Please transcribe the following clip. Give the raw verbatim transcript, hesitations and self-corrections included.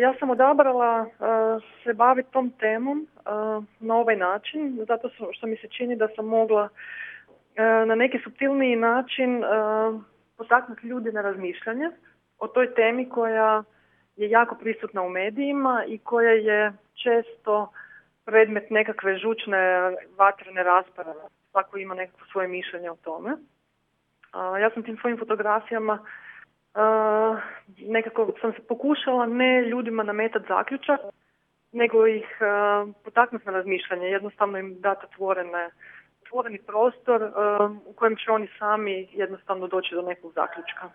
ja sam odabrala uh, se baviti tom temom uh, na ovaj način, zato što mi se čini da sam mogla uh, na neki suptilniji način uh, potaknuti ljudi na razmišljanje o toj temi koja je jako prisutna u medijima i koja je često predmet nekakve žučne vatrene rasprave. Svako ima nekako svoje mišljenje o tome. Uh, ja sam tim svojim fotografijama Uh, nekako sam se pokušala ne ljudima nametati zaključak, nego ih uh, potaknuti na razmišljanje, jednostavno im dati otvorene, otvoreni prostor uh, u kojem će oni sami jednostavno doći do nekog zaključka.